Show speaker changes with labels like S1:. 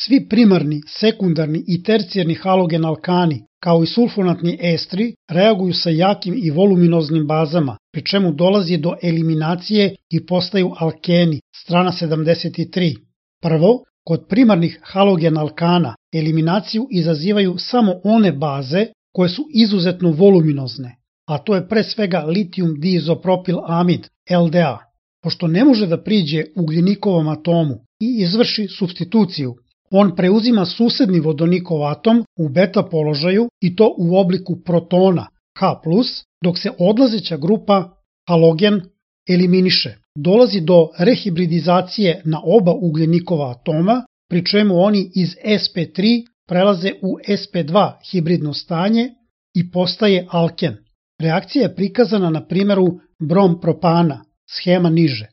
S1: Svi primarni, sekundarni i tercijarni halogen alkani, kao i sulfonatni estri, reaguju sa jakim i voluminoznim bazama, pri čemu dolazi do eliminacije i postaju alkeni, strana 73. Prvo, kod primarnih halogen alkana eliminaciju izazivaju samo one baze koje su izuzetno voluminozne, a to je pre svega litijum diizopropil amid, LDA. Pošto ne može da priđe ugljenikovom atomu i izvrši supstituciju, on preuzima susedni vodonikov atom u beta položaju i to u obliku protona H+, dok se odlazeća grupa halogen eliminiše. Dolazi do rehibridizacije na oba ugljenikova atoma, pri čemu oni iz sp3 prelaze u sp2 hibridno stanje i postaje alken. Reakcija je prikazana na primjeru brom propana, shema niže.